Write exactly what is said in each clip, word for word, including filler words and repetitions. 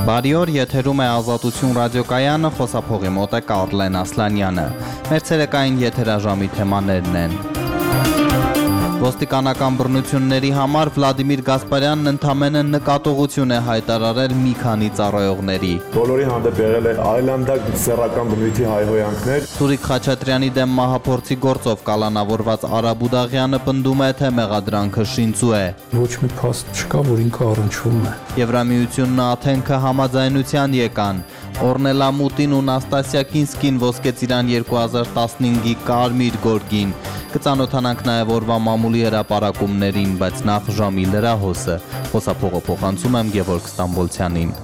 Բարի օր, եթերում է Ազատություն ռադիոկայանը, խոսափողի մոտ է Կարլեն Ասլանյանը։ Մեր ցերեկային եթերաժամի թեմաներն են. Ոստիկանական բռնությունների համար Վլադիմիր Գասպարյանն ընդամենը նկատողություն է հայտարարել մի քանի ծառայողների։ Բոլորի հանդեպ եղել է այլանդակ սեռական բնույթի հայհոյանքներ։ Սուրիկ Խաչատրյանի դեմ մահափորձի գործով կալանավորված Արա Բուդաղյանը պնդում է, թե մեղադրանքը շինծու է։ Ոչ մի փաստ չկա, որ ինքը առնչվում է։ Եվրամիությունն ու Աթենքը համաձայնության եկան։ Օրնելա Մուտին ու Նաստասիա Կինսկին ոսկեծիրան երկու հազար տասնհինգի կարմիր գորգին։ Կծանոթանանք նաև օրվա մամուլի հրապարակումներին, բայց նախ ժամի լրահոսը։ Խոսափողը փոխանցում եմ Գևորգ Ստամբոլցյանին։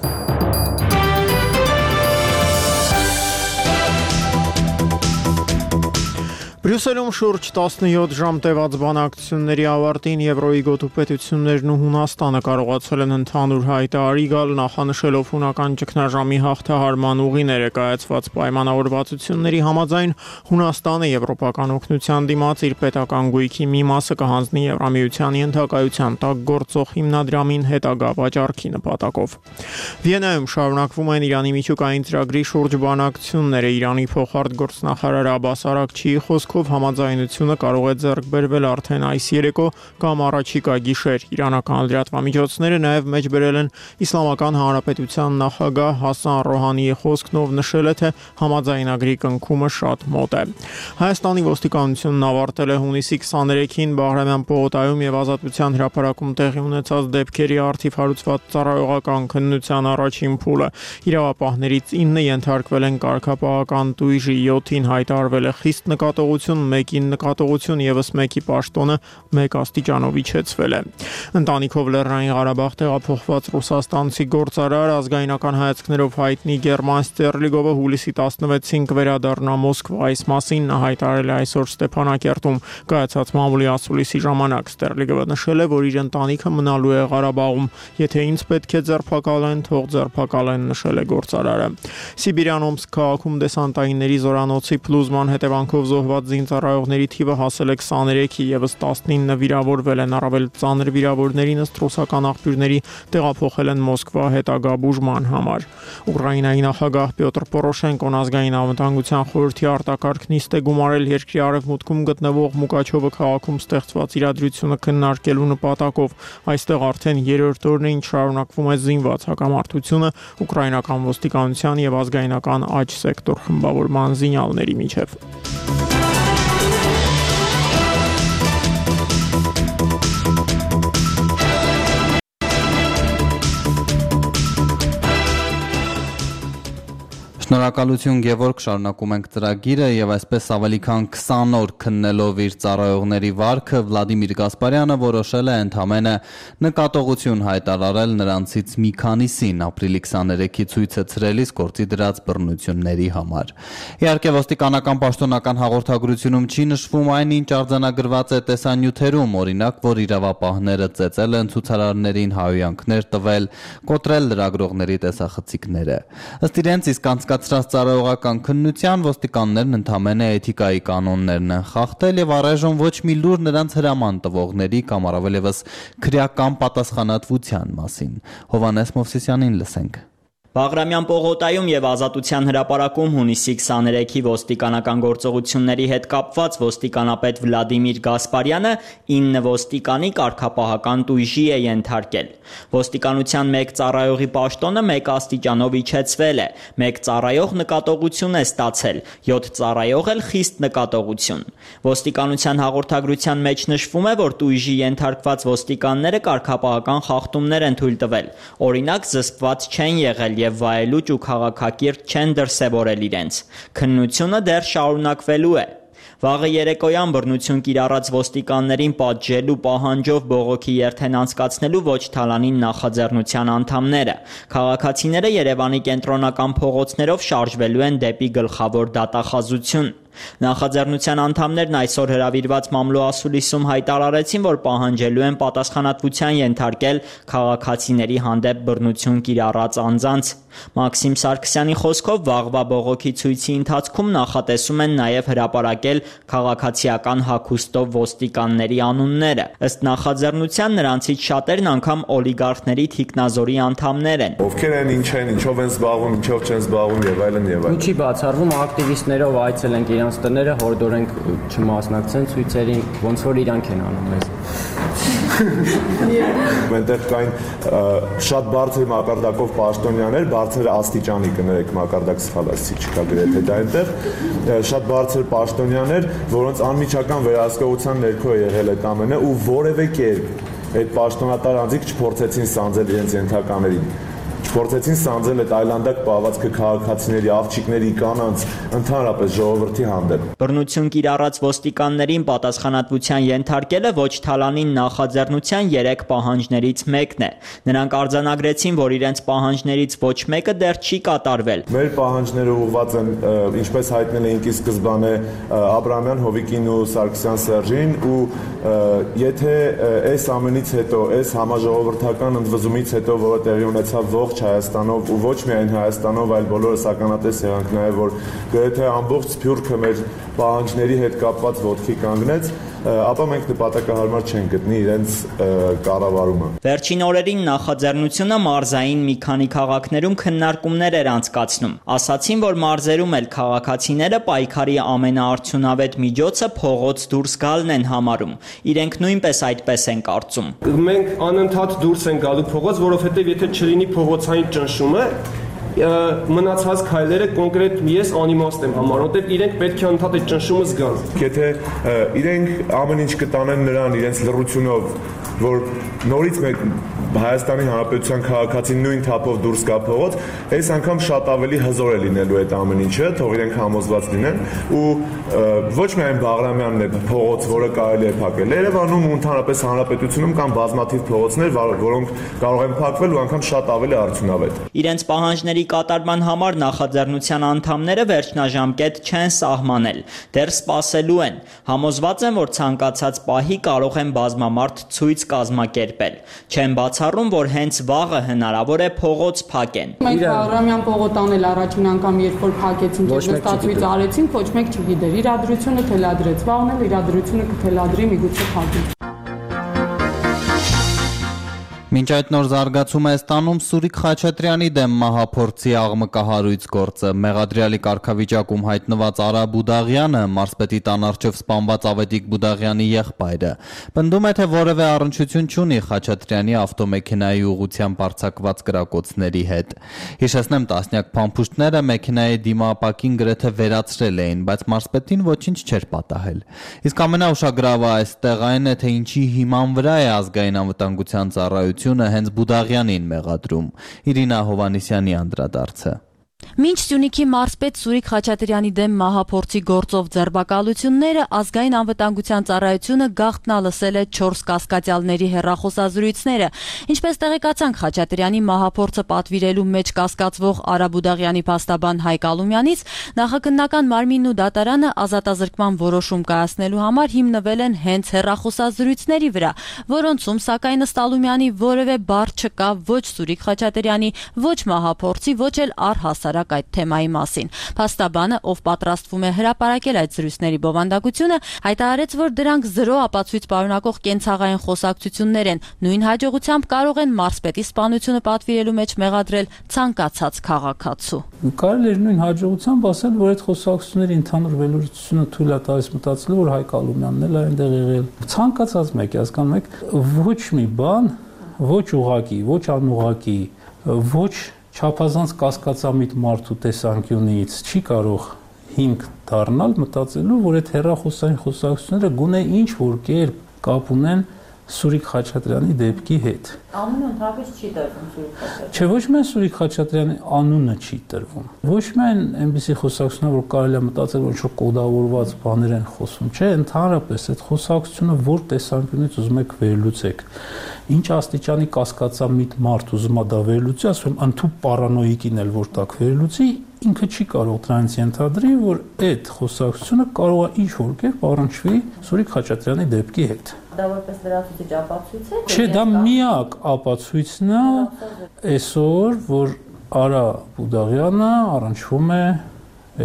Բրյուսելում շուրջ տասնյոթ ժամ տևած բանակցությունների ավարտին Եվրոյի գոտուպետություններն ու Հունաստանը կարողացել են ընդհանուր հայտարարի գալ, նախանշելով հունական ճգնաժամի հաղթահարման ուղի ներկայացված պայմանավորվածությունների համաձայն Հունաստանը եվրոպական օգնության դիմաց իր պետական գույքի մի մասը կհանձնի Եվրամիությանի ընդհակայության տակ գործող հիմնադրամին հետագա վաճառքի նպատակով։ Վիեննայում շարունակվում են Իրանի միջուկային ծրագրի շուրջ բանակցությունները։ Իրանի փոխարտգործնախարար Աբբաս Արաքչիի խոսքով համաձայնությունը կարող է ձեռք բերվել արդեն այս երեկո կամ առաջիկա գիշեր։ Իրանական լրատվամիջոցները նաև մեջբերել են Իսլամական Հանրապետության նախագահ Հասան Ռոհանիի խոսքն, ով նշել է, թե համաձայնագրի կնքումը շատ մոտ է։ Հայաստանի ոստիկանությունն ավարտել է հունիսի քսաներեքին Բաղրամյան պողոտայում եւ Ազատության հրապարակում տեղի ունեցած դեպքերի առթիվ հարուցված ծառայողական քննության առաջին փուլը։ Իրավապահներից ինը ենթարկվել են կարգապահական տույժի, յոթին հայտարարվել է խիստ նկատողություն, մեկին նկատողություն եւս մեկի պաշտոնը մեկ աստիճանով իջեցվել է։ Ընտանիքով Լեռնային Ղարաբաղ տեղափոխված ռուսաստանցի գործարար, ազգայնական հայացքներով հայտնի Գերման Ստերլիգովը հուլիսի տասնվեցին կվերադառնա Մոսկվա։ Այս մասին նա հայտարարել է այսօր Ստեփանակերտում կայացած մամուլի ասուլիսի ժամանակ։ Ստերլիգովը նշել է, որ իր ընտանիքը մնալու է Ղարաբաղում։ Եթե ինձ պետք է ձերբակալեն, թող ձերբակալեն, նշել է գործարարը։ Սիբիրյան Օմսկ քաղաքում դեսանտայինների զորանոցի փլուզման հետևանքով զոհված զինծառայողների թիվը հասել է քսաներեքի, եւս տասնինը վիրավորվել են։ Առավել ծանր վիրավորներին ըստ ռուսական աղբյուրների տեղափոխել են Մոսկվա հետագա բուժման համար։ Ուկրաինայի նախագահ Պյոտր Պորոշենկոն ազգային անվտանգության խորհրդի արտակարգ նիստ է գումարել երկրի արևմուտքում գտնվող Մուկաչովը քաղաքում ստեղծված իրադրությունը քննարկելու նպատակով։ Այստեղ արդեն երրորդ օրն է, ինչ շարունակվում է զինված հակամարտությունը ուկրաինական ոստիկանության եւ ազգայնական աջ սեկտոր խմբավորման զինյալների միջև։ Շնորհակալություն Գևորգ, շարունակում ենք ծրագիրը եւ այսպես ավելի քան քսան օր քննելով իր ծառայողների վարքը Վլադիմիր Գասպարյանը որոշել է ընդամենը նկատողություն հայտարարել նրանցից մի քանիսին ապրիլի քսաներեքի ցույցը ցրելիս գործի դրած բռնությունների համար։ Իհարկե ոստիկանական պաշտոնական հաղորդագրությունում չի նշվում այն, ինչ արձանագրված է տեսանյութերում, օրինակ, որ իրավապահները ծեծել են ցուցարարներին, հայհոյանքներ տվել, կոտրել լրագրողների տեսախցիկները։ Ըստ իրենց իսկ անցկացրած ծառայողական քննության ոստիկաններն ընդամենը էթիկայի կանոններն են խախտել եւ առայժմ ոչ մի լուր նրանց հրաման տվողների կամ առավելևս քրեական պատասխանատվության մասին։ Հովհաննես Մովսիսյանին լսենք։ Բաղրամյան պողոտայում եւ Ազատության հրապարակում հունիսի քսաներեքի ոստիկանական գործողությունների հետ կապված ոստիկանապետ Վլադիմիր Գասպարյանը ինը ոստիկանի կարգապահական տույժի է ենթարկել։ Ոստիկանության մեկ ծառայողի պաշտոնը մեկ աստիճանով իջեցվել է, մեկ ծառայող նկատողություն է ստացել, յոթ ծառայող էլ խիստ նկատողություն։ Ոստիկանության հաղորդագրության մեջ նշվում է, որ տույժի ենթարկված ոստիկանները կարգապահական խախտումներ են թույլ տվել։ Օրինակ, զսպված չեն եղել եւ վայելուչ ու քաղաքակիրթ չեն դրսևորել իրենց։ Քննությունը դեռ շարունակվելու է։ Վաղը երեկոյան բռնություն կիրառած ոստիկաններին պատժելու պահանջով բողոքի երթ են անցկացնելու ոչ թալանին նախաձեռնության անդամները։ Քաղաքացիները Երևանի կենտրոնական փողոցներով շարժվելու են դեպի գլխավոր դատախազություն։ Նախաձեռնության անդամներն այսօր հրավիրված մամլո ասուլիսում հայտարարեցին, որ պահանջելու են պատասխանատվության ենթարկել քաղաքացիների հանդեպ բռնություն կիրառած անձանց։ Մաքսիմ Սարգսյանի խոսքով վաղվա բողոքի ցույցի ընթացքում նախատեսում են նաև հրապարակել քաղաքացիական հագուստով ոստիկանների անունները։ Ըստ նախաձեռնության նրանցից շատերն անգամ օլիգարխների թիկնազորի անդամներ են։ Ովքեր են, ինչ են, ինչով են զբաղվում, ինչով չեն զբաղվում եւ այլն եւ այլն։ Ինչի բացառվում ակտիվիստներով այցելենք իրանց տները, հորդորենք չմասնակցեն ցույցերին, ոնց որ իրանք են անում մեզ։ Մենտեղ կային շատ բարձր մակարդակով պաշտոնյաներ, բարձր աստիճանի կներեք մակարդակ սխալացի չկա գրեթե դա այնտեղ շատ բարձր պաշտոնյաներ, որոնց անմիջական վերահսկողության ներքո եղել այդ ամենը ու որևէ կերպ այդ պաշտոնատար անձիկ չփորձեցին սանձել իրենց ենթականերին։ Չփորձեցին սանձել այդ այլանդակ պահվածքը քաղաքացիների, աղջիկների, կանանց, ընդհանրապես ժողովրդի հանդեպ։ Բռնություն կիրառած ոստիկաններին պատասխանատվության ենթարկելը ոչ թալանին նախաձեռնության երեք պահանջներից մեկն է։ Նրանք արձանագրեցին, որ իրենց պահանջներից ոչ մեկը դեռ չի կատարվել։ Մեր պահանջները ուղղված են, ինչպես հայտնել էինք ի սկզբանե Աբրահամյան, Հովիկին ու Սարգսյան Սերժին, ու եթե այս ամենից հետո, այս համաժողովրդական ընդվզումից հետո, որը տեղի ունեցավ ողջ Հայաստանով ու ոչ միայն Հայաստանով, այլ բոլորս ականատես եղանք նաև, որ գրեթե ամբողջ Սփյուռքը մեր պահանջների հետ կապված ոտքի կանգնեց, ապա մենք նպատակահարմար չենք գտնի իրենց կառավարումը։ Վերջին օրերին նախաձեռնությունը մարզային մի քանի քաղաքներում քննարկումներ էր անցկացնում։ Ասացին, որ մարզերում էլ քաղաքացիները պայքարի ամենաարդյունավետ միջոցը փողոց դուրս գալն են համարում։ Իրենք նույնպես այդպես են կարծում։ Մենք անընդհատ դուրս ենք գալու փողոց, որովհետև եթե չլինի փողոցային ճնշումը, մնացած քայլերը կոնկրետ ես անիմաստ եմ համարում, որտեղ իրենք պետք է ընդհանրապես այդ ճնշումը զգան։ Եթե իրենք ամեն ինչ կտանեն նրան իրենց լռությունով, որ նորից մեկ Հայաստանի Հանրապետության քաղաքացին նույն թափով դուրս գա փողոց, այս անգամ շատ ավելի հզոր է լինելու այդ ամեն ինչը, թող իրենք համոզված լինեն ու ոչ միայն Բաղրամյանն է փողոց, որը կարելի է փակել։ Երևանում ու ընդհանրապես հանրապետությունում կան բազմաթիվ փողոցներ, որոնք կարող են փակվել ու անգամ շատ ավելի արդյունավետ։ Իրենց պահանջների կատարման համար նախաձեռնության անդամները վերջնաժամկետ չեն սահմանել, դեռ սպասելու են։ Համոզված են, որ ցանկացած պահի կարող են բազմամարդ ցույց կազմակերպել։ Չեն բացառում, որ հենց վաղը հնարավոր է փողոց փակեն։ Մենք Բաղրամյան պողոտան էլ առաջին անգամ երբ որ փակեցին, նստածույց արեցին, ոչ մեկ չգիտեր։ Իրադրությունը թելադրեց, վաղն էլ իրադրությունը կթելադրի, միգուցե փակի։ Մինչ այդ նոր զարգացումը է ստանում Սուրիկ Խաչատրյանի դեմ մահափորձի աղմկահարույց գործը։ Մեղադրյալի կարգավիճակում հայտնված Արա Բուդաղյանը, մարզպետի տան առջև սպանված Ավետիք Բուդաղյանի եղբայրը, պնդում է, թե որևէ առնչություն չունի Խաչատրյանի ավտոմեքենայի ուղղությամբ արձակված կրակոցների հետ։ Հիշեցնեմ, տասնյակ փամփուշտները մեքենայի դիմապակին գրեթե վերացրել էին, բայց մարզպետին ոչինչ չէր պատահել։ Իսկ ամենաուշագրավը այստեղ այն է, թե ինչի հիման վրա է ազգային անվտանգության ծառայությունը հենց Բուդաղյանին մեղադրում։ Իրինա Հովանեսյանի անդրադարձը։ Մինչ Սյունիքի մարզպետ Սուրիկ Խաչատրյանի դեմ մահափորձի գործով ձերբակալությունները, ազգային անվտանգության ծառայությունը գաղտնալսել է չորս կասկածյալների հեռախոսազրույցները։ Ինչպես տեղեկացանք, Խաչատրյանի մահափորձը պատվիրելու մեջ կասկածվող Արա Բուդաղյանի փաստաբան Հայկ Ալումյանից նախաքննական մարմինն ու դատարանը ազատազրկման որոշում կայացնելու համար հիմնվել են հենց հեռախոսազրույցների վրա, որոնցում սակայն ըստ Ալումյանի որևէ բառ չկա ոչ Սուրիկ Խաչատրյանի, ոչ մահափորձի, ոչ էլ առհասարակ այդ թեմայի մասին։ Փաստաբանը, ով պատրաստվում է հրապարակել այդ զրույցների բովանդակությունը, հայտարարեց, որ դրանք զրո ապացույց պարունակող կենցաղային խոսակցություններ են, նույն հաջողությամբ կարող են մարզպետի սպանությունը պատվիրելու մեջ մեղադրել ցանկացած քաղաքացու։ Կարելի է նույն հաջողությամբ ասել, որ այդ խոսակցությունների ընդհանուր վերլուծությունը թույլ է տալիս մտածելու, որ Հայկ Ալումյանն էլ այնտեղ եղել։ Ցանկացած մեկ, հասկանում եք, ոչ մի բան, ոչ ուղղակի, ոչ անուղղակի, ոչ չափազանց կասկածամիտ մարդու տեսանկյունից չի կարող հիմք դառնալ մտածելու, որ այդ հեռախոսային խոսակցությունները գոնե ինչ որ կերպ կապ ունեն Սուրիկ Խաչատրյանի դեպքի հետ։ Անունը ընդհանրապես չի տրվում Սուրիկ Խաչատրյանի։ Չէ, ոչ միայն Սուրիկ Խաչատրյանի անունը չի տրվում։ Ոչ միայն այնպիսի խոսակցություններ, որ կարելի է մտածել, որ ինչ-որ կոդավորված բաներ են խոսում, չէ, ընդհանրապես այդ խոսակցությունը որ տեսանկյունից ուզում եք վերլուծեք։ Ինչ աստիճանի կասկածամիտ մարդ ուզում է դա վերլուծի, ասում եմ, ընդհանուր պարանոիկին էլ որ տակ վերլուծի, ինքը չի կարող դրանից ենթադրի, որ այդ խոսակցությունը կարող է ինչ-որ կերպ առնչվի Սուրիկ Խաչատրյանի դեպքի հետ։ Դա որպես լրացուցիչ ապացույց է։ Չէ, դա միակ ապացույցն է այսօր, որ Արա Բուդաղյանը առնչվում է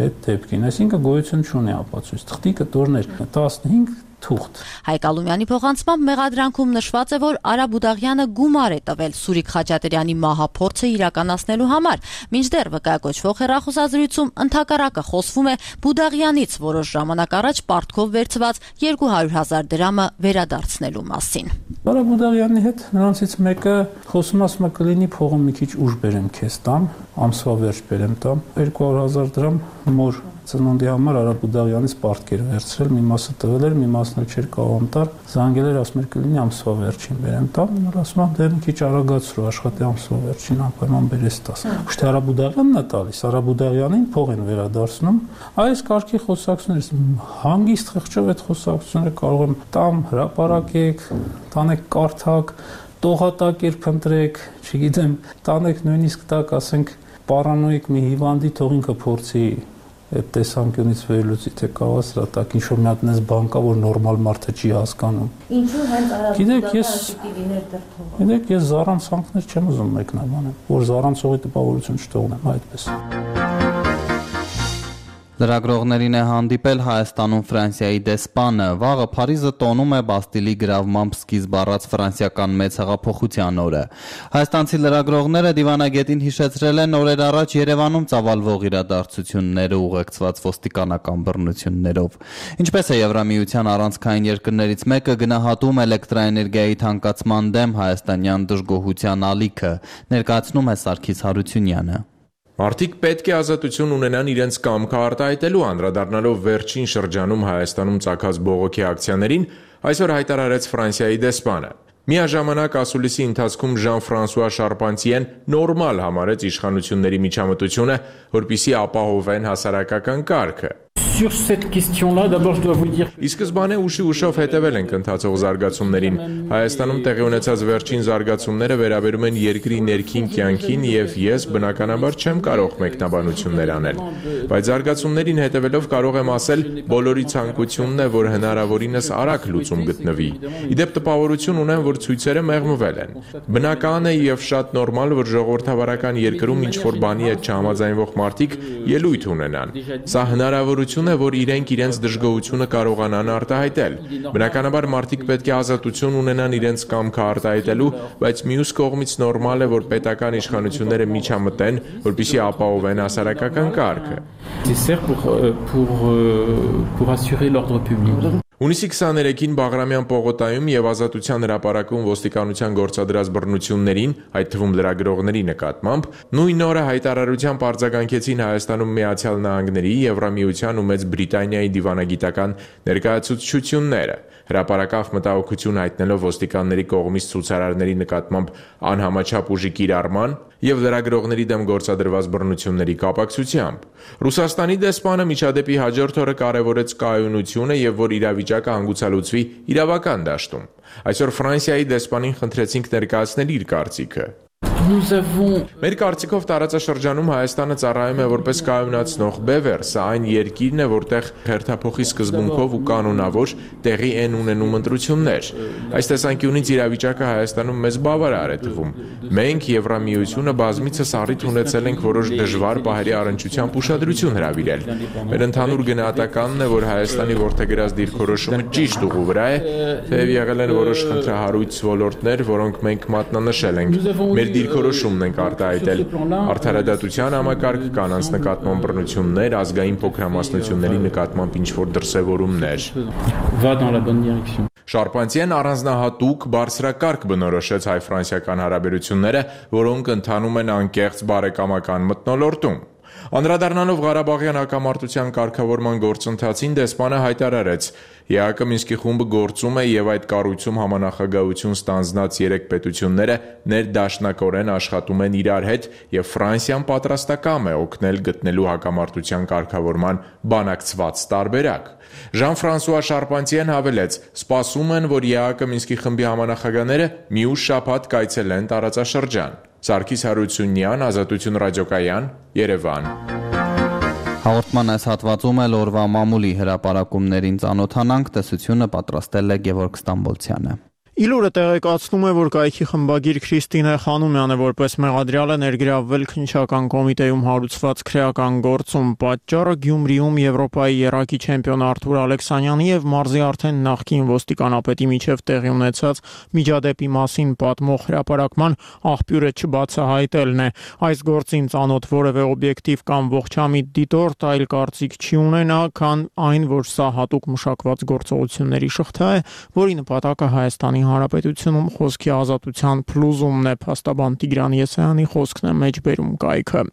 այդ դեպքին, այսինքն գոյություն չունի ապացույց։ Թղթի կտորներ տասնհինգ թուղթ։ Հայկ Ալումյանի փոխանցմամբ մեղադրանքում նշված է, որ Արա Բուդաղյանը գումար է տվել Սուրիկ Խաչատրյանի մահափորձը իրականացնելու համար, մինչդեռ վկայակոչվող հեռախոսազրույցում ընդհակառակը խոսվում է Բուդաղյանից որոշ ժամանակ առաջ պարտքով վերցված երկու հարյուր հազար դրամը վերադարձնելու մասին։ Արա Բուդաղյանի հետ նրանցից մեկը խոսում ասում է կլինի փողը մի քիչ ուշ բերեմ քեզ տամ, ամսվա վերջ բերեմ տամ, երկու հարյուր հազար դրամ մոր ծնունդի համար Արա Բուդաղյանից պարտքեր վերցրել, մի մասը տվել էր, մի մասն էլ չէր կարող տալ, զանգել էր, ասում էր կլինի ամսվա վերջին բերեմ տամ, նա ասում է դե մի քիչ արագացրու, աշխատի ամսվա վերջին անպայման բերես տաս։ Ուշ թե Արա Բուդաղյանն է տալիս, Արա Բուդաղյանին փող են վերադարձնում, այս կարգի խոսակցություններից հանգիստ խղճով այդ խոսակցությունները կարող եմ տամ, հրապարակեք, տանեք կարդակ, տողատակեր փնտրեք, չգիտեմ, տանեք նույնիսկ տակ, ասենք, պարանոիկ մի հիվանդի թող ինքը փորձի այդ տեսանկյունից վերլուծի, թե կարող է սրա տակ ինչ-որ մի հատ նես բան կա, որ նորմալ մարդը չի հասկանում։ Ինչու հենց Արա Բուդաղյանը պիտի լիներ դեռ թողը։ Գիտեք, ես զառանցանքներ չեմ ուզում մեկնաբանել, որ զառանցողի տպավորություն չթողնեմ այդպես։ Լրագրողներին է հանդիպել Հայաստանում Ֆրանսիայի դեսպանը, վաղը Փարիզը տոնում է Բաստիլի գրավմամբ սկիզբ առած ֆրանսիական մեծ հեղափոխության օրը։ Հայաստանցի լրագրողները դիվանագետին հիշեցրել են օրեր առաջ Երևանում ծավալվող իրադարձությունները ուղեկցված ոստիկանական բռնություններով։ Ինչպես է Եվրամիության առանցքային երկրներից մեկը գնահատում էլեկտրաէներգիայի թանկացման դեմ հայաստանյան դժգոհության ալիքը, ներկայացնում է Սարգիս Հարությունյանը։ Մարդիկ պետք է ազատություն ունենան իրենց կամքը արտահայտելու, անդրադառնալով վերջին շրջանում Հայաստանում ծագած բողոքի ակցիաներին, այսօր հայտարարեց Ֆրանսիայի դեսպանը։ Միաժամանակ ասուլիսի ընթացքում Ժան-Ֆրանսուଆ Շարպանտիեն նորմալ համարեց իշխանությունների միջամտությունը, որպեսզի ապահովեն հասարակական կարգը։ Sur cette question-là, d'abord je dois vous dire Ի սկզբանե ուշի ուշով հետևել ենք ընթացող զարգացումներին։ Հայաստանում տեղի ունեցած վերջին զարգացումները վերաբերում են երկրի ներքին կյանքին եւ ես բնականաբար չեմ կարող մեկնաբանություններ անել։ Բայց զարգացումներին հետևելով կարող եմ ասել, բոլորի ցանկությունն է, որ հնարավորինս արագ լուծում գտնվի։ Իդեպ տպավորություն ունեմ, որ ցույցերը մեղմվել են։ Բնական է եւ շատ նորմալ, որ ժողովրդավարական երկրում ինչ-որ բանի հետ չհամաձայնվող մարդիկ ելույթ ունենան։ Սա հնարավորություն է, որ իրենք իրենց դժգոհությունը կարողանան արտահայտել։ Բնականաբար մարդիկ պետք է ազատություն ունենան իրենց կամքը արտահայտելու, բայց մյուս կողմից նորմալ է, որ պետական իշխանությունները միջամտեն, որպեսզի ապահովեն հասարակական կարգը։ Հունիսի քսաներեքին Բաղրամյան պողոտայում եւ Ազատության հրապարակում ոստիկանության գործադրած բռնություններին, այդ թվում լրագրողների նկատմամբ, նույն օրը հայտարարությամբ արձագանքեցին Հայաստանում Միացյալ Նահանգների, Եվրամիության ու Մեծ Բրիտանիայի դիվանագիտական ներկայացուցչությունները։ Հրապարակավ մտահոգություն հայտնելով ոստիկանների կողմից ցուցարարների նկատմամբ անհամաչափ ուժի կիրառման եւ լրագրողների դեմ գործադրված բռնությունների կապակցությամբ։ Ռուսաստանի դեսպանը միջադեպի հաջորդ օրը կարևորեց կայունությունը եւ որ իրավիճակը հանգուցալուծվի իրավական դաշտում։ Այսօր Ֆրանսիայի դեսպանին խնդրեցինք ներկայացնել իր կարծիքը։ Մեր կարծիքով տարածաշրջանում Հայաստանը ծառայում է որպես կայունացնող բևեռ, սա այն երկիրն է, որտեղ հերթափոխի սկզբունքով ու կանոնավոր տեղի են ունենում ընտրություններ։ Այս տեսանկյունից իրավիճակը Հայաստանում մեզ բավարար է թվում։ Մենք Եվրամիությունը բազմիցս առիթ ունեցել ենք որոշ դժվար պահերի առնչությամբ ուշադրություն հրավիրել։ Մեր ընդհանուր գնահատականն է, որ Հայաստանի որդեգրած դիրքորոշումը ճիշտ ուղու վրա է, թեև եղել են որոշ խնդրահարույց ոլորտներ, որոնք մենք մատնանշել ենք։ Մեր դիրքորոշումն ենք արտահայտել։ Արդարադատության համակարգ, կանանց նկատմամբ բռնություններ, ազգային փոքրամասնությունների նկատմամբ ինչ-որ դրսևորումներ։ Շարպանտիեն առանձնահատուկ բարձրակարգ բնորոշեց հայ-ֆրանսիական հարաբերությունները, որոնք ընթանում են անկեղծ բարեկամական մթնոլորտում։ Անդրադառնալով Ղարաբաղյան հակամարտության կարգավորման գործընթացին դեսպանը հայտարարեց. ԵԱՀԿ Մինսկի խումբը գործում է եւ այդ կառույցում համանախագահություն ստանձնած երեք պետությունները ներդաշնակորեն աշխատում են իրար հետ եւ Ֆրանսիան պատրաստակամ է օգնել գտնելու հակամարտության կարգավորման բանակցված տարբերակ։ Ժան-Ֆրանսուଆ Շարպանտիեն հավելեց. սպասում են, որ ԵԱՀԿ Մինսկի խմբի համանախագահները մի ուշ շաբաթ կայցելեն տարածաշրջան։ Սարգիս Հարությունյան, Ազատություն ռադիոկայան, Երևան։ Հաղորդման այս հատվածում էլ օրվա մամուլի հրապարակումներին ծանոթանանք, տեսությունը պատրաստել է Գևորգ Ստամբոլցյանը։ Իլուրը տեղեկացնում է, որ կայքի խմբագիր Քրիստինե Խանոմյանը որպես մեղադրյալ է ներգրավվել քննչական կոմիտեում հարուցված քրեական գործում։ Պատճառը Գյումրիում Եվրոպայի երակի չեմպիոն Արթուր Ալեքսանյանի եւ մարզի արդեն նախկին ոստիկանապետի միջև տեղի ունեցած միջադեպի մասին պատմող հրապարակման աղբյուրը չբացահայտելն է։ Այս գործին ծանոթ որևէ օբյեկտիվ կամ ողջամիտ դիտորդ այլ կարծիք չի ունենա, քան այն, որ սա հատուկ մշակված գործողությունների շղթա է, որի նպատակը Հայաստանի Հանրապետությունում խոսքի ազատության փլուզումն է, փաստաբան Տիգրան Եսայանի խոսքն է մեջբերում կայքը։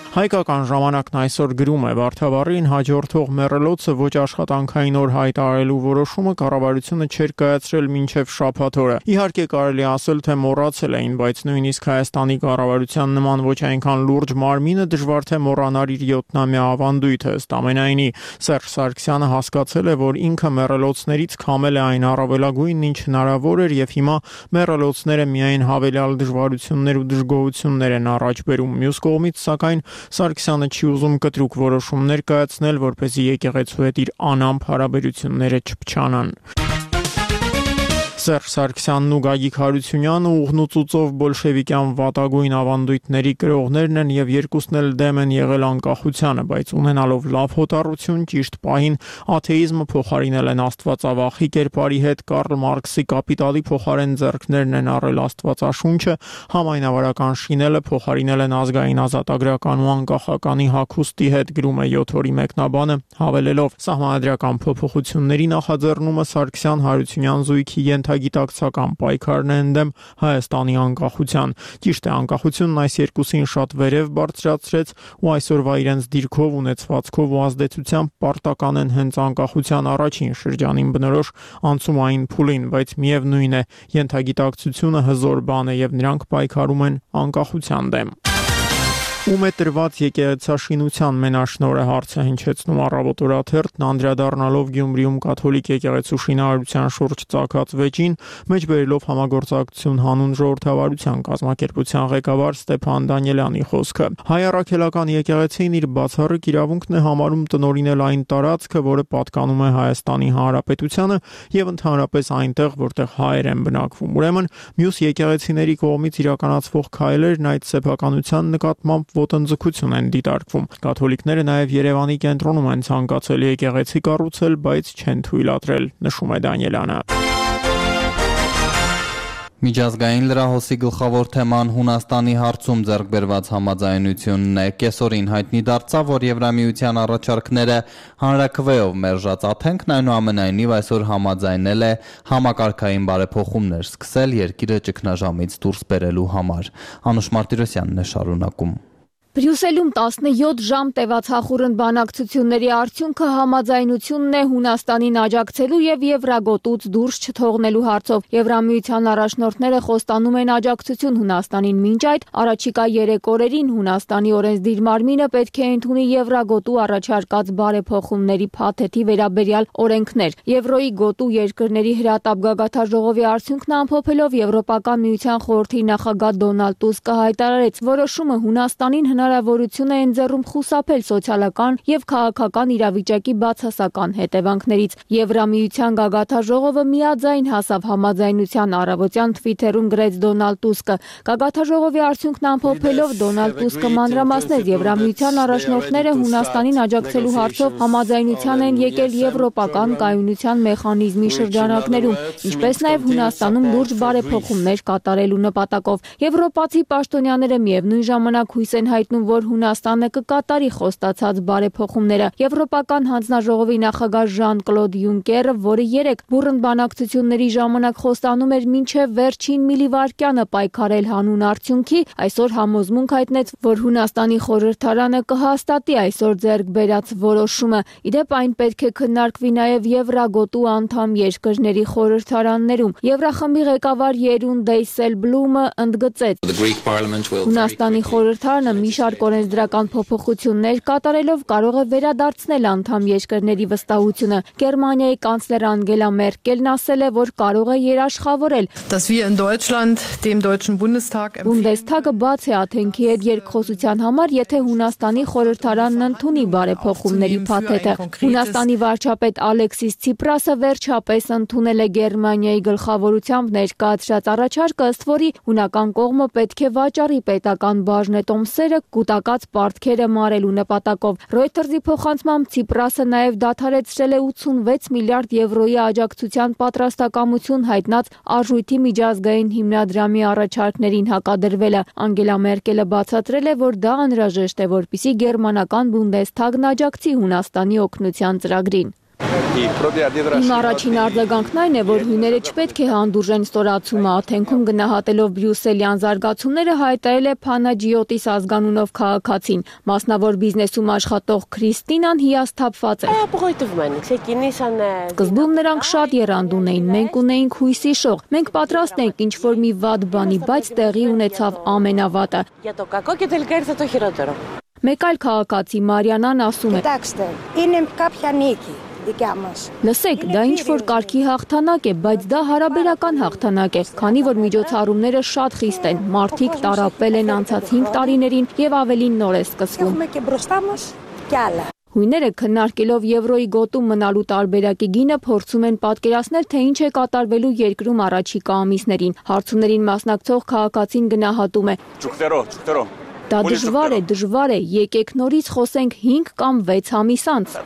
Հայկական ժամանակն այսօր գրում է Վարդավառին հաջորդող մեռելոցը ոչ աշխատանքային օր հայտարարելու որոշումը կառավարությունը չէր կայացրել մինչև շաբաթ օրը։ Իհարկե կարելի ասել, թե մոռացել էին, բայց նույնիսկ Հայաստանի կառավարության նման ոչ այնքան լուրջ մարմինը դժվար թե մոռանար իր յոթնամյա ավանդույթը, ըստ ամենայնի Սերժ Սարգսյանը հասկացել է, որ ինքը մեռելոցներից քամել է այն առավելագույնն, ինչ հնարավոր էր, եւ հիմա մեռելոցները միայն հավելյալ դժվարություններ ու դժգոհություններ են առաջ բերում։ Մյուս կողմից, սակայն Սարգսյանը չի ուզում կտրուկ որոշումներ կայացնել, որպեսզի եկեղեցու հետ իր անամփ հարաբերությունները չփչանան։ Սերժ Սարգսյանն ու Գագիկ Հարությունյանը ուղնուծուծով բոլշևիկյան վատագույն ավանդույթների կրողներն են եւ երկուսն էլ դեմ են եղել անկախությանը, բայց ունենալով լավ հոտառություն ճիշտ պահին աթեիզմը փոխարինել են աստվածավախի կերպարի հետ, Կարլ Մարքսի կապիտալի փոխարեն ձեռքներն են առել աստվածաշունչը, համայնավարական շինելը փոխարինել են ազգային ազատագրական ու անկախականի հագուստի հետ, գրում է յոթ օրի մեկնաբանը, հավելելով սահմանադրական փոփոխությունների նախաձեռնումը Սարգսյան Հարությունյան զույգի գիտակցական պայքարն է ընդդեմ Հայաստանի անկախության։ Ճիշտ է, անկախությունն այս երկուսին շատ վերև բարձրացրեց ու այսօրվա իրենց դիրքով, ունեցվածքով ու ազդեցությամբ պարտական են հենց անկախության առաջին շրջանին բնորոշ անցումային փուլին, բայց միևնույն է, ենթագիտակցությունը հզոր բան է եւ նրանք պայքարում են անկախության դեմ։ Ում է տրված եկեղեցաշինության մենաշնորհը հարցը հնչեցնում Առավոտ օրաթերթն անդրադառնալով Գյումրիում կաթոլիկ եկեղեցու շինարարության շուրջ ծագած վեճին, մեջբերելով համագործակցություն հանուն ժողովրդավարության կազմակերպության ղեկավար Ստեփան Դանիելյանի խոսքը։ Հայ առաքելական եկեղեցին իր բացառիկ իրավունքն է համարում տնօրինել այն տարածքը, որը պատկանում է Հայաստանի Հանրապետությանը եւ ընդհանրապես այնտեղ, որտեղ հայեր են բնակվում։ Ուրեմն մյուս եկեղեցիների կողմից իրականացվող քայլերն այդ սեփականության նկատմամբ ոտնձգություն են դիտարկվում։ Կաթոլիկները նաև Երևանի կենտրոնում են ցանկացել եկեղեցի կառուցել, բայց չեն թույլատրել, նշում է Դանիելյանը։ Միջազգային լրահոսի գլխավոր թեման Հունաստանի հարցում ձեռք բերված համաձայնությունն է։ Կեսօրին հայտնի դարձավ, որ Եվրամիության առաջարկները հանրաքվեով մերժած Աթենքն այնուամենայնիվ այսօր համաձայնել է համակարգային բարեփոխումներ սկսել երկիրը ճգնաժամից դուրս բերելու համար։ Անուշ Մարտիրոսյանն է շարունակում։ Բրյուսելում տասնյոթ ժամ տևած հախուռն բանակցությունների արդյունքը համաձայնությունն է Հունաստանին աջակցելու եւ Եվրագոտուց դուրս չթողնելու հարցով։ Եվրամիության առաջնորդները խոստանում են աջակցություն Հունաստանին, մինչ այդ առաջիկա երեք օրերին Հունաստանի օրենսդիր մարմինը պետք է ընդունի Եվրագոտու առաջարկած բարեփոխումների փաթեթի վերաբերյալ օրենքներ։ Եվրոյի գոտու երկրների հրատապ գագաթաժողովի արդյունքն ամփոփելով Եվրոպական միության խորհրդի նախագահ Դոնալդ Տուսկը հայտարարեց, որոշումը Հունաստանին հնարավորություն է ընձեռում խուսափել սոցիալական եւ քաղաքական իրավիճակի բացասական հետևանքներից։ Եվրամիության գագաթաժողովը միաձայն հասավ համաձայնության, առավոտյան Twitter-ում գրեց Դոնալդ Տուսկը։ Գագաթաժողովի արդյունքն ամփոփելով Դոնալդ Տուսկը մանրամասնեց Եվրամիության առաջնորդները Հունաստանին աջակցելու հարցով համաձայնության են եկել եվրոպական կայունության մեխանիզմի շրջանակներում, ինչպես նաեւ Հունաստանում լուրջ բարեփոխումներ կատարելու նպատակով։ Եվրոպացի պաշտոնյաները միևնույն ժամանակ հույս են հայտնում հայտնում, որ Հունաստանը կկատարի խոստացած բարեփոխումները։ Եվրոպական հանձնաժողովի նախագահ Ժան-Կլոդ Յունկերը, որը երեկ բուռն բանակցությունների ժամանակ խոստանում էր մինչև վերջին միլիվարկյանը պայքարել հանուն արդյունքի, այսօր համոզմունք հայտնեց, որ Հունաստանի խորհրդարանը կհաստատի այսօր ձեռք բերած որոշումը։ Իդեպ այն պետք է քննարկվի նաև Եվրագոտու անդամ երկրների խորհրդարաններում։ Եվրախմբի ղեկավար Երուն Դեյսելբլումը ընդգծեց. Հունաստանի խորհրդարանը մի շարք օրենսդրական փոփոխություններ կատարելով կարող է վերադարձնել անդամ երկրների վստահությունը։ Գերմանիայի կանցլեր Անգելա Մերկելն ասել է, որ կարող է երաշխավորել։ Բունդեսթագը բաց է աթենքի հետ երկխոսության համար, եթե Հունաստանի խորհրդարանն ընդունի բարեփոխումների փաթեթը։ Հունաստանի վարչապետ Ալեքսիս Ցիպրասը վերջապես ընդունել է Գերմանիայի գլխավորությամբ ներկայացրած առաջարկը, ըստ որի հունական կողմը պետք է վաճառի պետական բաժնետոմսերը կուտակած պարտքերը մարելու նպատակով։ Reuters-ի փոխանցմամբ Ցիպրասը նաև դադարեցրել է ութսունվեց միլիարդ եվրոյի աջակցության պատրաստակամություն հայտնած արժույթի միջազգային հիմնադրամի առաջարկներին հակադրվելը։ Անգելա Մերկելը բացատրել է, որ դա անհրաժեշտ է, որպեսզի գերմանական Բունդեսթագն աջակցի Հունաստանի օգնության ծրագրին։ Իմ առաջին արձագանքն այն է, որ հույները չպետք է հանդուրժեն ստորացումը, աթենքում գնահատելով բրյուսելյան զարգացումները հայտարարել է Փանաջիոտիս ազգանունով քաղաքացին։ Մասնավոր բիզնեսում աշխատող Քրիստինան հիասթափված է։ Սկզբում նրանք շատ եռանդուն էին, մենք ունեինք հույսի շող, մենք պատրաստ ենք ինչ-որ մի վատ բանի, բայց տեղի ունեցավ ամենավատը։ Մեկ այլ քաղաքացի Մարիանան ասում է. Լսեք, դա ինչ-որ կարգի հաղթանակ է, բայց դա հարաբերական հաղթանակ է, քանի որ միջոցառումները շատ խիստ են, մարդիկ տառապել են անցած հինգ տարիներին և ավելին նոր է սկսվում։ Հույները քննարկելով Եվրոյի գոտում մնալու տարբերակի գինը փորձում են պատկերացնել, թե ինչ է կատարվելու երկրում առաջիկա ամիսներին։ Հարցումներին մասնակցող քաղաքացին գնահատում է. Դա դժվար է, դժվար է, եկեք նորից խոսենք հինգ կամ վեց ամիս անց։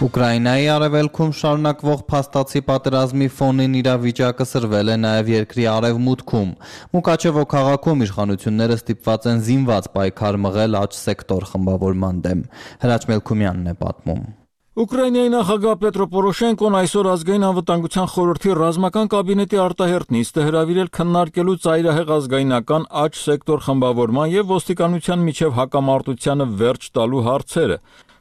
Ուկրաինայի արևելքում շարունակվող փաստացի պատերազմի ֆոնին իրավիճակը սրվել է նաև երկրի արևմուտքում։ Մուկաչևո քաղաքում իշխանությունները ստիպված են զինված պայքար մղել աջ սեկտոր խմբավորման դեմ։ Հրաչ Մելքումյանն է պատմում։ Ուկրաինայի նախագահ Պետրո Պորոշենկոն այսօր ազգային անվտանգության խորհրդի ռազմական կաբինետի արտահերթ նիստ է հրավիրել քննարկելու ծայրահեղ ազգայնական աջ սեկտոր խմբավորման եւ ոստիկանության միջև հակամարտությանը վերջ տալու հարցերը։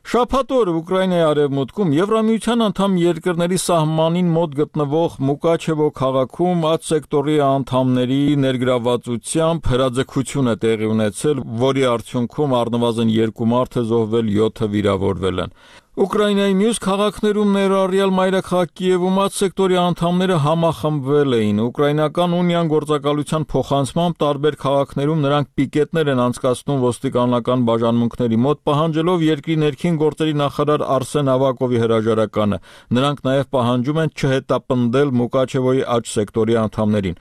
Շաբաթ օրը Ուկրաինայի արևմուտքում Եվրամիության անդամ երկրների սահմանին մոտ գտնվող Մուկաչևո քաղաքում աջ սեկտորի անդամների ներգրավվածությամբ հրաձգություն է տեղի ունեցել, որի արդյունքում առնվազն երկու մարդ է զոհվել, յոթը վիրավորվել են։ Ուկրաինայի մյուս քաղաքներում ներառյալ մայրաքաղաք Կիևում աջ սեկտորի անդամները համախմբվել էին։ Ուկրաինական ունիան գործակալության փոխանցմամբ տարբեր քաղաքներում նրանք պիկետներ են անցկացնում ոստիկանական բաժանմունքների մոտ, պահանջելով երկրի ներքին գործերի նախարար Արսեն Ավակովի հրաժարականը։ Նրանք նաև պահանջում են չհետապնդել Մուկաչևոյի աջ սեկտորի անդամներին։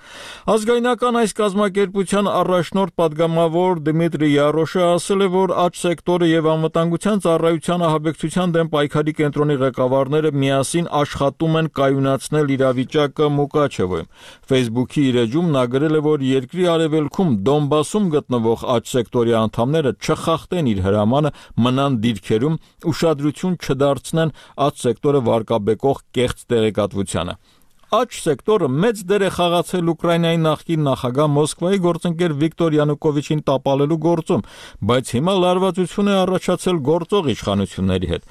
Ազգայնական այս կազմակերպության առաջնորդ падգամավոր Դմիտրի Յարոշը ասել է, որ աջ սեկտորը եւ անվտանգության ծառայության ահաբեկչության դեմ պայքարի կենտրոնի ղեկավարները միասին աշխատում են կայունացնել իրավիճակը Մուկաչևոյում։ Facebook-ի իր էջում նա գրել է, որ երկրի արևելքում Դոնբասում գտնվող աջ սեկտորի անդամները չխախտեն իր հրամանը, մնան դիրքերում, ուշադրություն չդարձնեն աջ սեկտորը վարկաբեկող կեղծ տեղեկատվությանը։ Աջ սեկտորը մեծ դեր է խաղացել Ուկրաինայի նախկին նախագահ Մոսկվայի գործընկեր Վիկտոր Յանուկովիչին տապալելու գործում, բայց հիմա լարվածություն է առաջացել գործող իշխանությունների հետ։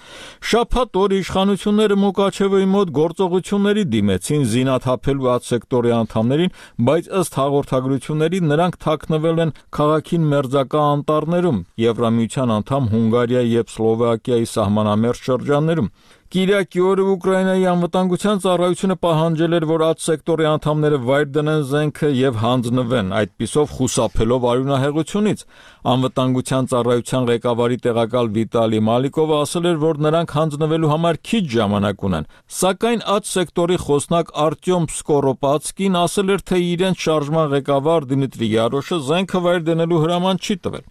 Շաբաթ օրը իշխանությունները Մուկաչևոյի մոտ գործողությունների դիմեցին զինաթափելու աջ սեկտորի անդամներին, բայց ըստ հաղորդագրությունների նրանք թաքնվել են քաղաքին մերձակա անտառներում, Եվրամիության անդամ Հունգարիայի եւ Սլովակիայի սահմանամերձ շրջաններում։ Կիրակի օրը Ուկրաինայի անվտանգության ծառայությունը պահանջել էր, որ աջ սեկտորի անդամները վայր դնեն զենքը եւ հանձնվեն, այդպիսով խուսափելով արյունահեղությունից։ Անվտանգության ծառայության ղեկավարի տեղակալ Վիտալի Մալիկովը ասել էր, որ նրանք հանձնվելու համար քիչ ժամանակ ունեն։ Սակայն աջ սեկտորի խոսնակ Արտյոմ Սկորոպացկին ասել էր, թե իրենց շարժման ղեկավար Դմիտրի Յարոշը զենքը վայր դնելու հրաման չի տվել։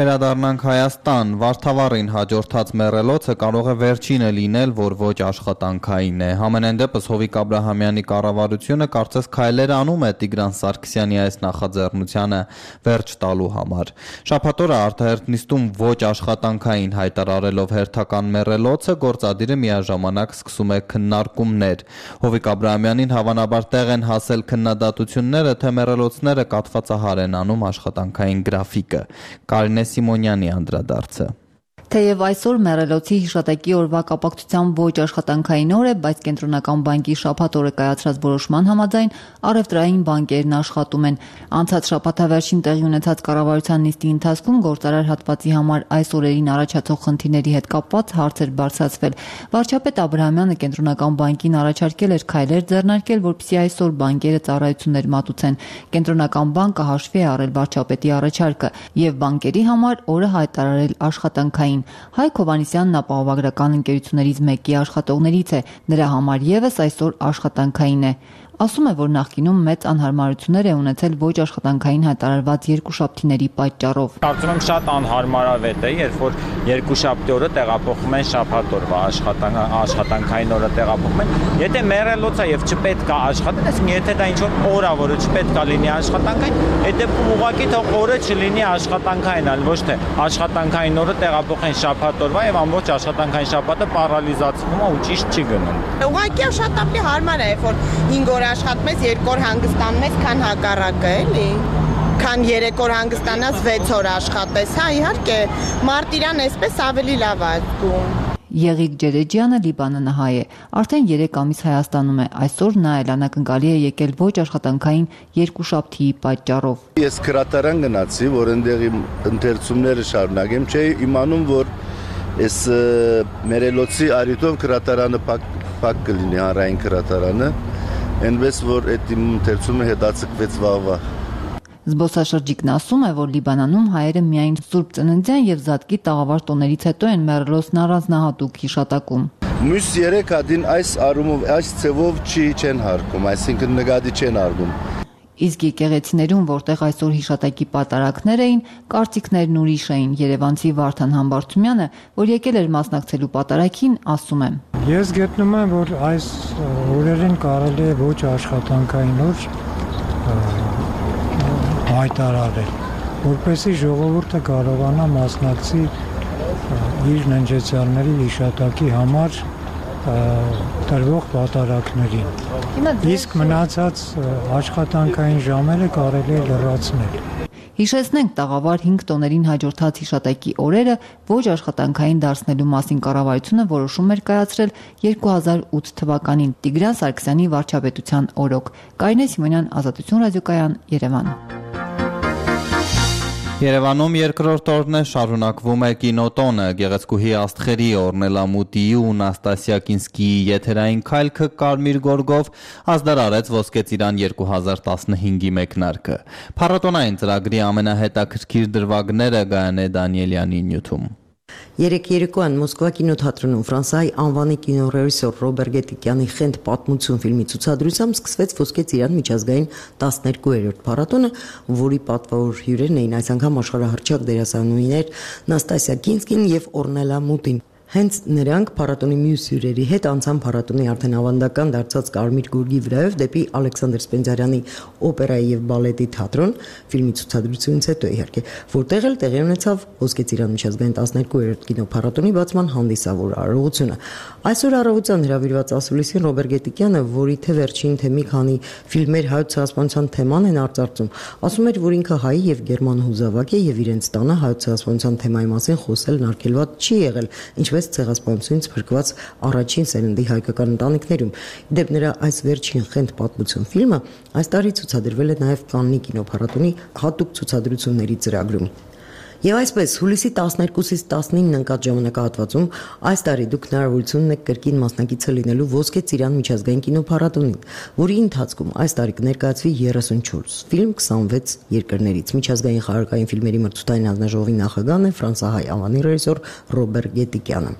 Վերադառնանք Հայաստան, Վարդավառին հաջորդած մեռելոցը կարող է վերջինը լինել, որ ոչ աշխատանքային է։ Համենայն դեպս Հովիկ Աբրահամյանի կառավարությունը կարծես քայլեր անում է Տիգրան Սարգսյանի այս նախաձեռնությանը վերջ տալու համար։ Շաբաթ օրը արտահերթ նիստում ոչ աշխատանքային հայտարարելով հերթական մեռելոցը, գործադիրը միաժամանակ սկսում է քննարկումներ։ Հովիկ Աբրահամյանին հավանաբար տեղ են հասել քննադատությունները, թե մեռելոցները կաթվածահար են անում աշխատանքային գրաֆիկը։ Կարինե Սիմոնյանի անդրադարձը։ Թեև այսօր մեռելոցի հիշատակի օրվա կապակցությամբ ոչ աշխատանքային օր է, բայց Կենտրոնական բանկի շաբաթ օրը կայացրած որոշման համաձայն առևտրային բանկերն աշխատում են։ Անցած շաբաթավերջին տեղի ունեցած կառավարության նիստի ընթացքում գործարար հատվածի համար այս օրերին առաջացող խնդիրների հետ կապված հարցեր բարձրացվել։ Վարչապետ Աբրահամյանը Կենտրոնական բանկին առաջարկել էր քայլեր ձեռնարկել, որպեսզի այսօր բանկերը ծառայություններ մատուցեն։ Կենտրոնական բանկը հաշվի է առել վարչապետի առաջարկը եւ բանկերի համար օրը հայտարարել աշխատանքային։ Հայկ Հովհաննիսյանն ապահովագրական ընկերություններից մեկի աշխատողներից է, նրա համար եւս այսօր աշխատանքային է։ Ասում է, որ նախկինում մեծ անհարմարություններ է ունեցել ոչ աշխատանքային հայտարարված երկուշաբթիների պատճառով։ Կարծում եմ շատ անհարմարավետ է, երբ որ երկուշաբթի օրը տեղափոխում են շաբաթ օրվա աշխատանքային օրը տեղափոխում են։ Եթե մեռելոց է եւ չպետք է աշխատել, այսինքն եթե դա ինչ-որ օր է, որը չպետք է լինի աշխատանքային, այդ դեպքում ուղղակի թող օրը չլինի աշխատանքային, այլ ոչ թե աշխատանքային օրը տեղափոխեն շաբաթ օրվա եւ ամբողջ աշխատանքային շաբաթը պարալիզացվում է ու ճիշտ չի գնում։ Ուղղակի շատ ավելի հարմար է, երբ որ հինգ օր աշխատում ես, երկու օր հանգստանում ես, քան հակառակը, էլի։ Քան երեք օր հանգստանաս, վեց օր աշխատես, հա, իհարկե, մարտիրան այսպես ավելի լավ է զգում։ Եղիկ Ջերեջյանը լիբանանահայ է, արդեն երեք ամիս Հայաստանում է, այսօր նա էլ անակնկալի է եկել ոչ աշխատանքային երկուշաբթիի պատճառով։ Ես քրատարան գնացի, որ այնտեղի ընթերցումները շարունակեմ, չէի իմանում, որ այս մերելոցի արիտով քրատարանը փակ կլինի, հանրային քրատարանը, այնպես որ այդ իմ ընթերցումը հետաձգվեց վաղվա։ Զբոսաշրջիկն ասում է, որ Լիբանանում հայերը միայն Սուրբ Ծննդյան եւ Զատկի տաղավար տոներից հետո են մեռելոցն առանձնահատուկ հիշատակում։ Մյուս երեք հատին այս առումով, այս ցևով չի չեն հարկում, այսինքն նկատի չեն արվում։ Իսկ եկեղեցիներում, որտեղ այսօր հիշատակի պատարակներ էին, կարծիքներն ուրիշ էին։ Երևանցի Վարդան Համբարձումյանը, որ եկել էր մասնակցելու պատարակին, ասում է. Ես գտնում եմ, որ այս օրերին կարելի է ոչ աշխատանքային օր հայտարարել, որպեսզի ժողովուրդը կարողանա մասնակցի իր ննջեցյալների հիշատակի համար տրվող պատարակներին։ Իսկ մնացած աշխատանքային ժամերը կարելի է լրացնել։ Հիշեցնենք, տաղավար հինգ տոներին հաջորդած հիշատակի օրերը ոչ աշխատանքային դարձնելու մասին կառավարությունը որոշում էր կայացրել երկու հազար ութ թվականին Տիգրան Սարգսյանի վարչապետության օրոք։ Կարինե Սիմոնյան, Ազատություն ռադիոկայան, Երևան։ Երևանում երկրորդ օրն է շարունակվում է կինոտոնը, Գեղեցկուհի Աստղերի, Օրնելա Մուտիի ու Նաստասիա Կինսկիի եթերային քայլքը Կարմիր գորգով ազդարարեց Ոսկե ծիրան երկու հազար տասնհինգի մեկնարկը։ Փառատոնային ծրագրի ամենահետաքրքիր դրվագները Գայանե Դանիելյանի նյութում։ Երեք երեկոյան Մոսկվա կինոթատրոնում Ֆրանսիայի անվանի կինոռեժիսոր Ռոբեր Գետիկյանի «Խենթ պատմություն» ֆիլմի ցուցադրությամբ սկսվեց Ոսկե ծիրան միջազգային տասներկուերորդ փառատոնը, որի պատվավոր հյուրերն էին այս անգամ աշխարհահռչակ դերասանուհիներ Նաստասիա Կինսկին եւ Օրնելա Մուտին։ Հենց նրանք փառատոնի մյուս հյուրերի հետ անցան փառատոնի արդեն ավանդական դարձած Կարմիր գորգի վրայով դեպի Ալեքսանդր Սպենդիարյանի օպերայի եւ բալետի թատրոն, ֆիլմի ցուցադրությունից հետո իհարկե, որտեղ էլ տեղի ունեցավ Ոսկե ծիրան միջազգային տասներկուերորդ կինոփառատոնի բացման հանդիսավոր արարողությունը։ Այսօր առավոտյան հրավիրված ասուլիսին Ռոբեր Գետիկյանը, որի թե վերջին թե մի քանի ֆիլմեր հայոց ցեղասպանության թեման են արծարծում, ասում էր, որ ինքը հայ եւ գերման հուզավակ է եւ իրենց տանը հայոց ցեղասպանության թեմայի մասին խոսելն արգելված չի եղել, ինչպես ցեղասպանությունից փրկված առաջին սերնդի հայկական ընտանիքներում։ Դեպ նրա այս վերջին «Խենթ պատմություն» ֆիլմը այս տարի ցուցադրվել է նաև Կաննի կինոփառատոնի հատուկ ցուցադրությունների ծրագրում։ Եվ այսպես հուլիսի տասներկուսից տասնինը ընկած ժամանակահատվածում այս տարի դուք հնարավորություն ունեք կրկին մասնակիցը լինելու Ոսկե ծիրան միջազգային կինոփառատոնին, որի ընթացքում այս տարի կներկայացվի երեսունչորս ֆիլմ քսանվեց երկրներից։ Միջազգային խաղարկային ֆիլմերի մրցութային հանձնաժողովի նախագահն է ֆրանսահայ անվանի ռեժիսոր Ռոբեր Գետիկյանը։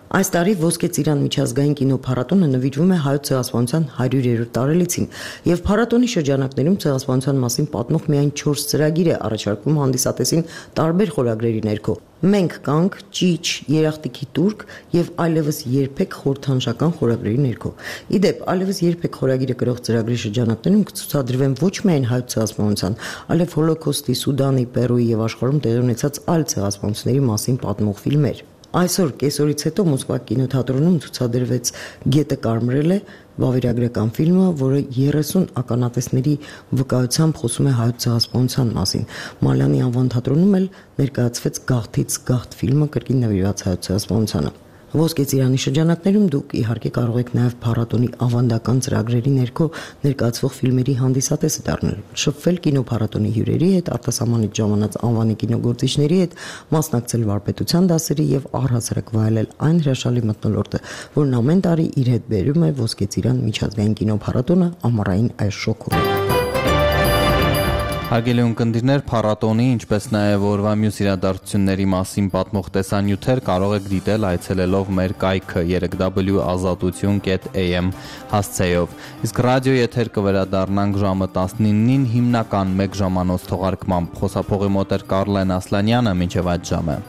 Այս տարի Ոսկե ծիրան միջազգային կինոփառատոնը նվիրվում է հայոց ցեղասպանության հարյուրերորդ տարելիցին, եւ փառատոնի շրջանակներում ցեղասպանության մասին պատմող միայն չորս ծրագիր է առաջարկվում հանդիսատեսին տարբեր խորագրերի ներքո։ Մենք կանք, ճիչ, երախտիկի տուրք եւ այլևս երբեք խորհրդանշական խորագրերի ներքո։ Իդեպ, այլևս երբեք խորագիրը գրող ծրագրի շրջանակներում կցուցադրվեն ոչ միայն հայոց ցեղասպանության, այլև Հոլոկոստի, Սուդանի, Պերուի եւ աշխարհում տեղի ունեցած այլ ցեղասպանությունների մասին պատմող ֆիլմեր։ Այսօր կեսօրից հետո Մոսկվա կինոթատրոնում ցուցադրվեց Գետը կարմրել է վավերագրական ֆիլմը, որը երեսուն ականատեսների վկայությամբ խոսում է հայոց ցեղասպանության մասին։ Մալյանի անվան թատրոնում էլ ներկայացվեց Գաղթից գաղթ ֆիլմը, կրկին նվիրված հայոց ցեղասպանությանը։ Ոսկե ծիրանի շրջանակներում դուք իհարկե կարող եք նաև փառատոնի ավանդական ծրագրերի ներքո ներկայացվող ֆիլմերի հանդիսատեսը դառնել, շփվել կինոփառատոնի հյուրերի հետ, արտասահմանից ժամանած անվանի կինոգործիչների հետ, մասնակցել վարպետության դասերի եւ առհասարակ վայելել այն հրաշալի մթնոլորտը, որն ամեն տարի իր հետ բերում է Ոսկե ծիրան միջազգային կինոփառատոնը ամառային այս շոկում։ Հարգելի ունկնդիրներ, փառատոնի, ինչպես նաև օրվա մյուս իրադարձությունների մասին պատմող տեսանյութեր կարող եք դիտել այցելելով մեր կայքը երեք w ազատություն կետ a m հասցեով։ Իսկ ռադիո եթեր կվերադառնանք ժամը տասնինին հիմնական մեկ ժամանոց թողարկմամբ։ Խոսափողի մոտ էր Կարլեն Ասլանյանը, մինչև այդ ժամը։